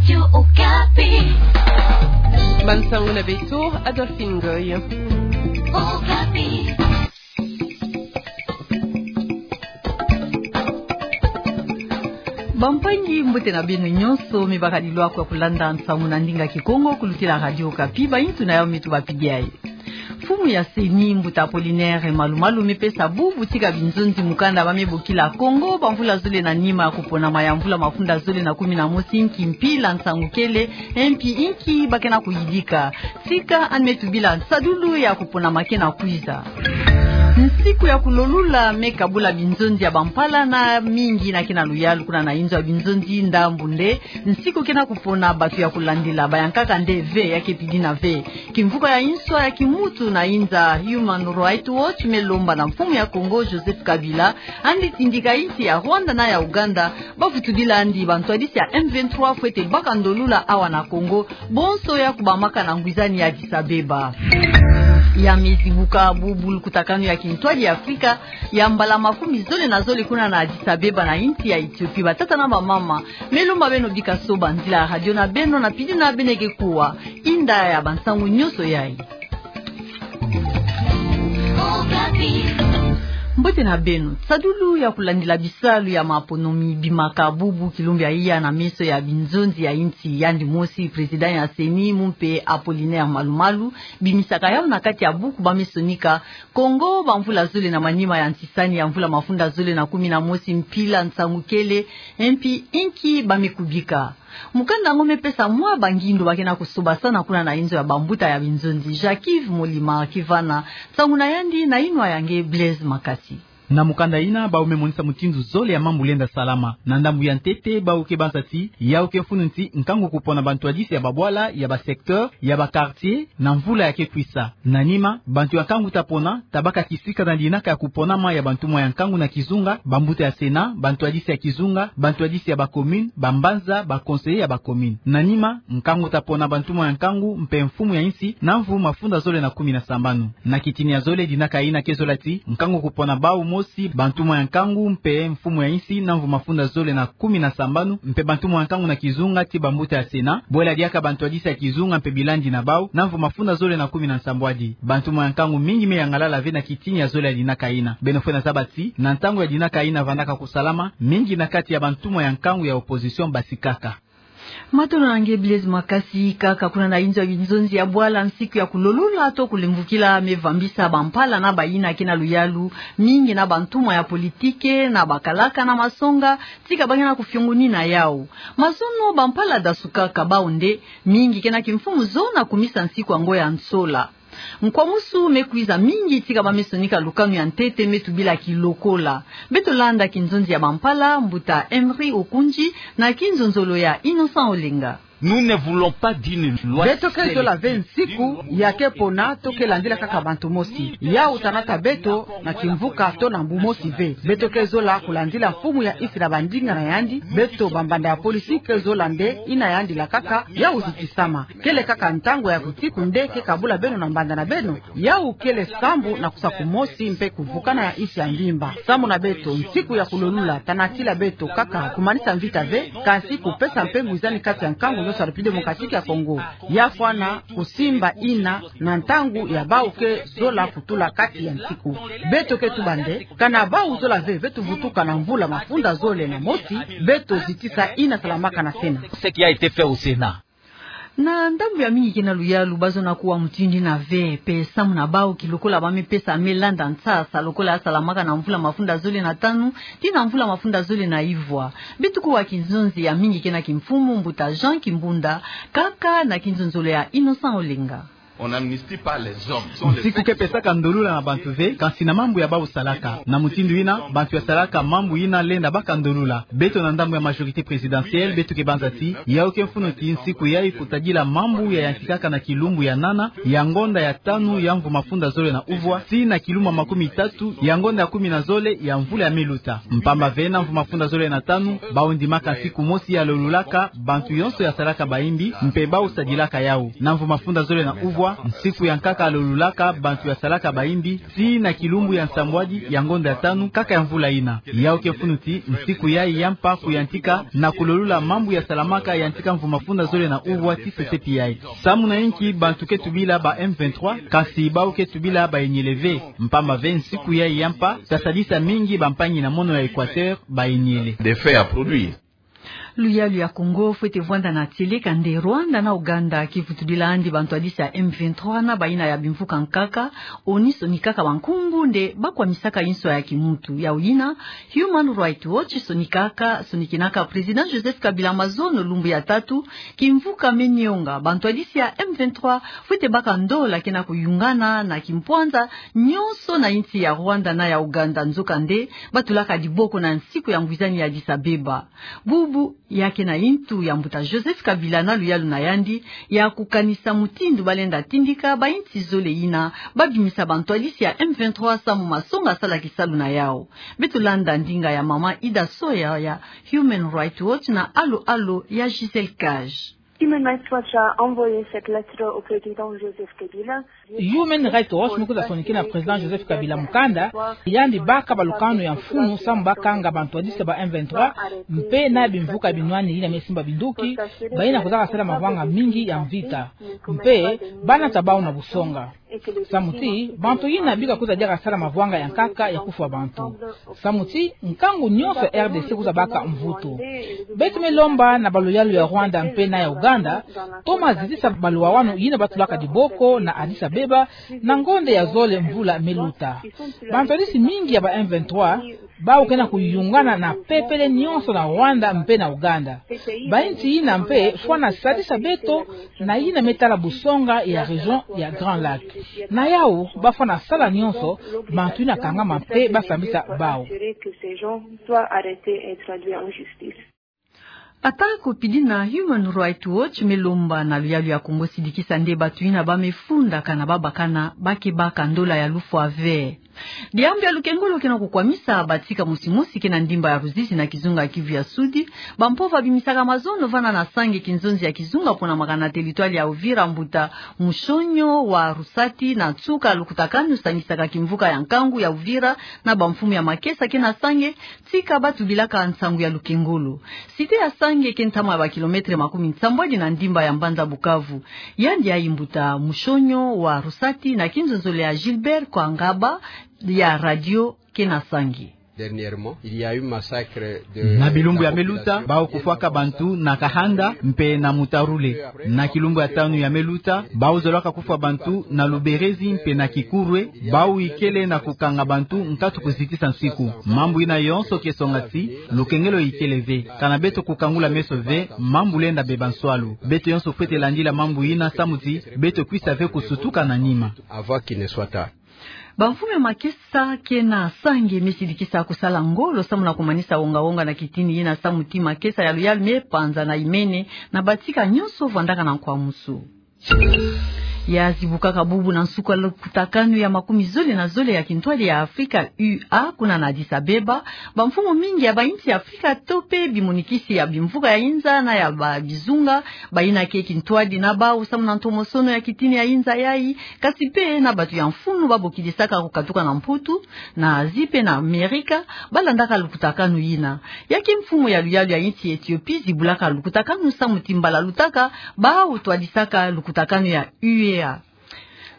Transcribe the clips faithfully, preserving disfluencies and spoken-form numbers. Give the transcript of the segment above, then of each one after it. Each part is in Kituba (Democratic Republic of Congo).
Radio Okapi. Bansangu na beto, Adolphine Ngoy. Okapi. Bampangi, mbote na beno nyonso, me bakadi lwaku ya kulanda nsangu na ndinga Kikongo kulutila Radio Okapi, bayitu na yawu me tubapidi ayi. Mfumu ya CENI, mbuta Apollinaire Malumalu, me pesa bubu tika binzonzi mukanda ba me bokila Kongo bamvula zole na nima ya kuponama ya mvula mafunda zole na kumi na mosi nki mpila nsangu kele, mpi nki ba ke na kuyidika. Tika yandi me tubila nsadulu ya kuponama ke na kwiza. Nsiku ya kulolula me kabula binzonzi ya bampala na mingi na ke na luyalu kuna na inzo ya binzonzi ndambu nde nsiku ke na kupona bantu ya kulandila bayankaka nde ve, ya ke pidina ve. Kimvuka ya inswa ya kimutu na inza Human Rights Watch me lomba na mfumu ya Kongo Joseph Kabila, yandi tindika insi ya Rwanda na ya Ouganda bavutudila yandi bantwadisi ya M vingt-trois fwete baka ndolula awa na Kongo, bonso ya kubamaka na ngwizani ya Addis Abeba. Ya me zibuka bubu lukutakanu ya kintwadi ya Afrika ya mbala makumi zole na zole kuna na Addis Abeba na insi ya Ethiopie. Batata na bamama, me lomba beno bika soba nzila ya radio na beno na pidina beno ke kuwa inda ya bansangu nyonso yayi. Mbote na beno. Nsadulu ya kulandila bisalu ya maponomi bimaka bubu kilumbu ya iya na meso ya binzonzi ya insi, yandi mosi président ya CENI, mumpe Apollinaire Malumalu, bimisaka yawu na kati ya buku ba me sonika Kongo bamvula zole na manima ya ntisani ya mvula mafunda zole na kumi na mosi mpila nsangu kele, mpi nki ba me kubika. Mukanda yango me pesa mwa bangindu ba ke na kusobasana kuna na inzo ya bambuta ya binzonzi. Jacques-Yves Molima Kivana, nsangu na yandi na inwa ya nge Blaise Makasi. Na mukanda yina, bawu me monisa mutindu zole ya mambu lenda salama. Na ndambu ya ntete, bawu ke banza ti yawu ke mfunu ti nkangu kupona bantwadisi ya babwala, ya basecteur, ya baquartier, na mvula ya ke kwisa. Na nima, bantu ya nkangu ta pona, ta baka kisika na dinaka ya kuponama ya bantumwa ya nkangu na kizunga, bambuta ya Sénat, bantwadisi ya kizunga, bantwadisi ya bacommune, bambanza, baconseiller ya bacommune. Na nima, nkangu ta pona bantumwa ya nkangu mpe mfumu ya insi, na mvu mafunda zole na kumi na sambanu. Na kitini ya zole, dinaka yina ke zola ti nkangu kupona bawu mosi, bantumwa ya nkangu mpe mfumu ya insi, na mvu mafunda zole na kumi na sambanu, mpe bantumwa ya nkangu na kizunga ti bambuta ya Sénat, bwela diaka bantwadisi ya kizunga mpe bilandi na bawu, na mvu mafunda zole na kumi na nsambwadi. Bantumwa ya nkangu mingi me yangalala ve na kitini ya zole ya dinaka yina. Beno fwena zaba ti, na ntangu ya dinaka yina vandaka kusalama, mingi na kati ya bantumwa ya nkangu ya opposition basikaka. Matondo na nge Blaise Makasi. Kaka kuna na inzo ya binzonzi ya bwala, nsiku ya kulolula to kulemvukila me vambisa bampala na bayina ke na luyalu, mingi na bantumwa ya politike, na bakalaka na masonga, tika ba ke na kufiongonina yawu. Mazono bampala dasukaka bawu nde, mingi ke na kimfumu zona kumisa nsiku yango ya nsola. Nkwamusu me kwiza mingi tika ba me sonika lukanu ya ntete me tubila kilokola. Beto landa kinzonzi ya bampala, mbuta Emery Okundji, na kinzonzolo ya Innocent Olenga. Nous ne voulons pas d'une loi. Beto ke zola ve nsiku ya ke pona to ke landila kaka bantu mosi. Yawu ta nata beto na kimvuka to na mbu mosi ve. Beto ke zola kulandila mfumu ya insi na bandinga na yandi. Beto bambanda ya polisi ke zola nde yina yandi lakaka yawu zitisama. Kele kaka ntangu ya kitiku nde ke kabula beno na mbanda na beno. Yawu kele sambu na kusa kumosi mpe kuvukana ya insi ya mvimba. Sambu na beto, nsiku ya kulolula ta natila beto kaka kumanisa mvita ve, kansi kupesa mpe ngwizani kati ya nkangu nyonso ya République Démocratique ya Congo. Ya fwana kusimba yina na ntangu ya bawu ke zola kutula kati ya nsiku. Beto ke tuba nde, kana bawu zola ve, ve tuvutuka na mvula mafunda zole na mosi, beto zitisa yina salamaka na Sénat. Ce qui a été fait au Sénat. Na ndambu ya mingi ke na luyalu, ba zona kuwa mutindu yina ve, mpe sambu na bawu kilokola ba me pesa me landa nsasa lokola ya salamaka na mvula mafunda zole na tanu tii na mvula mafunda zole na ivwa. Beto kuwa kinzonzi ya mingi ke na kimfumu, mbuta Jean Kimbunda, kaka na kinzonzolo ya Innocent Olenga. On n'amnistie pas les hommes. Nsiku ke pesaka ndolula na bantu ve, kansi na mambu ya bawu salaka. Na mutindu yina, bantu ya salaka mambu yina lenda baka ndolula. Beto na ndambu ya majorité présidentielle, beto ke banza ti, yawu ke mfunu ti nsiku yayi kutadila mambu ya yantikaka na kilumbu ya nana ya ngonda ya tanu ya mvu mafunda zole na uvwa, tii na kilumbu ya makumi tatu ya ngonda ya kumi na zole ya mvula ya me luta. Mpamba ve na mvu mafunda zole na tanu, bawu ndimaka nsiku mosi ya lolulaka bantu yonso ya salaka bayimbi, mpe bawu sadilaka yawu. Na mvu mafunda zole na uvwa, nsiku ya nkaka lolulaka bantu ya salaka bayimbi, tii na kilumbu ya nsambwadi ya ngonda ya tanu nkaka ya mvula yina. Yawu ke mfunu ti nsiku yayi ya mpa kuyantika na kulolula mambu ya salamaka yantika mvu mafunda zole na uvwa ti sesepi yayi. Samu na inki bantu ke tubila ba M vingt-trois, kasi bawu ke tubila bayenyele ve? Mpamba ve nsiku yayi ya mpa, tasadisa mingi bampangi na mono ya Equateur bayenyele. Des faits à produire. Luyalu ya Kongo fwete vwanda na tieleka nde Rwanda na Ouganda kivutudila andi bantwadisi ya M vingt-trois na bayina ya bimvuka nkaka, oni sonikaka bankungu nde bakwamisaka inswa ya kimuntu. Yawu yina, Human Rights Watch sonikaka, sonikinaka Président Joseph Kabila mazono lumbu ya tatu, kimvuka me nionga bantwadisi ya M vingt-trois fwete baka ndola ke na kuyungana na kimpwanza nyonso na insi ya Rwanda na ya Ouganda, nzokande batulaka diboko na nsiku ya ngwizani ya Addis Abeba. Bubu ya ke na intu ya mbuta Joseph Kabila na luyalu na yandi ya kukanisa mutindu balenda tindika bainsi zole yina babimisa bantwadisi ya M vingt-trois samu masonga sala kisalu na yawu. Beto landa ndinga ya mama Ida Soya ya Human Rights Watch na Alo Alo ya Gisèle Cage. Human Rights Watch a envoyé cette lettre au président Joseph Kabila. Human Rights Watch me kwiza sonikina Président Joseph Kabila mukanda, yandi baka balukanu ya mfunu samu bakanga bantwadisi ba M vingt-trois, mpe na bimvuka binwani yina me simba binduki, bayina kwizaka sala mavwanga mingi ya mvita, mpe banata bawu na busonga. Samu ti bantu yina bika kwiza diaka sala mavwanga ya nkaka ya kufwa bantu. Samu ti nkangu nyonso R D C kwiza baka mvutu. Beto me lomba na baluyalu ya Rwanda mpe na ya Ouganda, toma zitisa baluwawanu yina batulaka diboko na Addis Abeba na ngonda ya zole mvula me luta. Bantwadisi mingi ya ba M vingt-trois bawu ke na kuyungana na pepele nyonso na Rwanda mpe na Ouganda. Bainsi yina mpe fwana sadisa beto na yina me tala busonga ya région ya Grand Lac. Na yawu, bafwana sala nyonso bantu yina kangama mpe basambisa bawu. Atako pidina, Human Rights Watch me lomba na luyalu ya Kongo sidikisa nde bantu yina ba me fundaka na babakana ba ke baka ndola ya lufwa ve. Diambu ya lukengolo ke na kukwamisa batika mosi mosi ke na ndimba ya Ruzizi na kizunga Kivu ya Sudi. Bampova bimisaka mazono vana na Sange, kinzonzi ya kizunga pona makana, teritware ya Uvira, mbuta Mushonyo wa Rusati na nsuka lukutakanu sangisaka kimvuka ya nkangu ya Uvira na bamfumu ya makesa ke na Sange, tika batubilaka nsangu ya lukengolo. Site ya Sange ke ntama ya bakilometre makumi nsambwadi na ndimba ya mbanza Bukavu. Yandi yayi mbuta Mushonyo wa Rusati na kinzonzolo ya Gilbert Kwangaba ya radio ke na Sange. Dernièrement, il y a eu massacre de... Na bilumbu ya me luta, bawu kufwaka bantu na Kahanda mpe na Mutarule. Na kilumbu ya tanu ya me luta, bawu zolaka kufwa bantu na Luberezi mpe na Kikurwe, bawu ikele na kukanga bantu nkatu kuzitisa nsiku. Mambu yina yonso ke songa ti lukengolo ikele ve. Kana beto kukangula meso ve, mambu lenda beba nswalu. Beto yonso fwete landila mambu yina samu ti beto kwisa ve kusutuka na nima. Avant qu'il ne soit tard. Bamfumu ya makesa ke na Sange me sidikisa kusala ngolo samu na kumanisa wonga-wonga na kitini yina samu ti makesa ya luyalu me panza na imene na batika nyonso vandaka na nkwamusu. Ya zibukaka bubu na nsuka lukutakanu ya makumi zole na zole ya kintwadi ya Afrika, U A, kuna na Addis Abeba, bamfumu mingi ya bainsi ya Afrika to mpe bimonikisi ya bimvuka ya inza na ya ba bizunga, bayina ke kintwadi na bawu samu na ntomosono ya kitini ya inza yayi, kasi mpe na bantu ya mfunu babokidisaka kukatuka na Mputu, na Asie mpe na Amerika, balandaka lukutakanu yina. Ya ke mfumu ya luyalu ya insi Ethiopie zibulaka lukutakanu samu ti mbala lutaka, bawu twadisaka lukutakanu ya U A.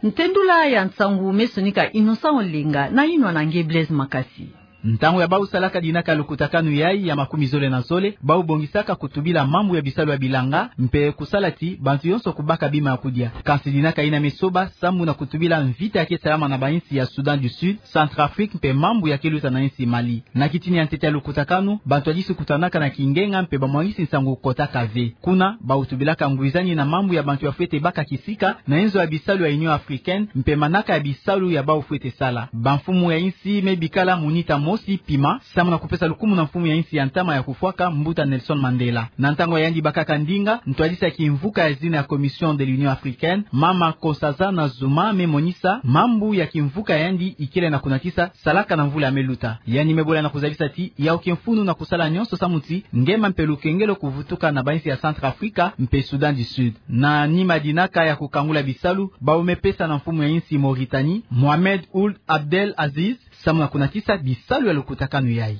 Ntendula ya nsangu me sonika Innocent Olenga na yinwa na nge Blaise Makasi. Ntangu ya bawu salaka dinaka lukutakanu yayi ya makumi zole na zole, bawu bongisaka kutubila mambu ya bisalu ya bilanga, mpe kusala ti bantu yonso kubaka bima ya kudia. Kansi dinaka yina me soba, samu na kutubila mvita ya ke salama na bainsi ya Soudan du Sud, Centrafrique, mpe mambu ya ke luta na insi Mali. Na kitini ya ntete ya lukutakanu, bantu ya disi kutanaka na kingenga mpe bamwangisi nsangu kotaka ve. Kuna, bawu tubilaka ngwizani na mambu ya bantu ya fwete baka kisika na inzo ya bisalu ya Union Africaine, mpe manaka ya bisalu ya bawu fwete sala. Bamfumu ya insi me bikala munita mo Kosi Pima, samu na kupesa lukumu na mfumu ya insi ya ntama ya kufwaka, Mbuta Nelson Mandela. Na ntangu ya yandi bakaka ndinga, ntwadisi ya kimvuka ya zina ya Commission de l'Union Africaine, Mama Nkosazana Zuma, me monisa mambu ya kimvuka ya yandi ikele na kunatisa salaka na mvula ya me luta. Yandi me bola na kuzabisa ti yawu kimfunu na kusala nyonso samu ti Ngema mpe Lukengelo kuvutuka na bainsi ya Centrafrique mpe Soudan du Sud. Na nima dinaka ya kukangula bisalu, bawu me pesa na mfumu ya insi Mauritanie, Mohamed Ould Abdel Aziz, samu na kunatisa bisalu ya lukutakanu yayi.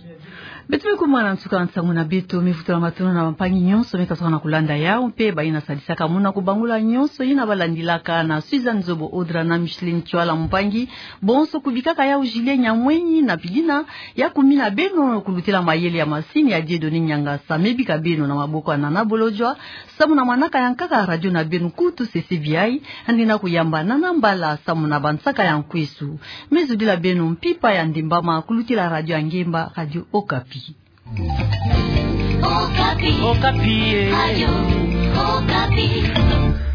Beto me kuma na nsuka ya nsangu na beto, me vutula matondo na bampangi nyonso me kasuka na kulanda yawu, mpe bayina sadisaka muna kubangula nyonso yina balandilaka. Na Suzanne Zobo Odra na Micheline Tswala mpangi, bonso kubikaka yawu Julien Nyamwenyi na Pidina, ya kumina beno kulutela mayele ya masini ya Dieudonné Nyangasa, me bika beno na maboko ya Nana Bolodjwa, samu na manaka ya nkaka radio na beno kutu CCBI, yandi na kuyamba Nana Mbala samu na bansaka ya nkwesu. Me zudila beno mpimpa ya ndembama kulutila radio ya ngemba, Radio Okapi. Okapi. Okapi, eh. Radio Okapi.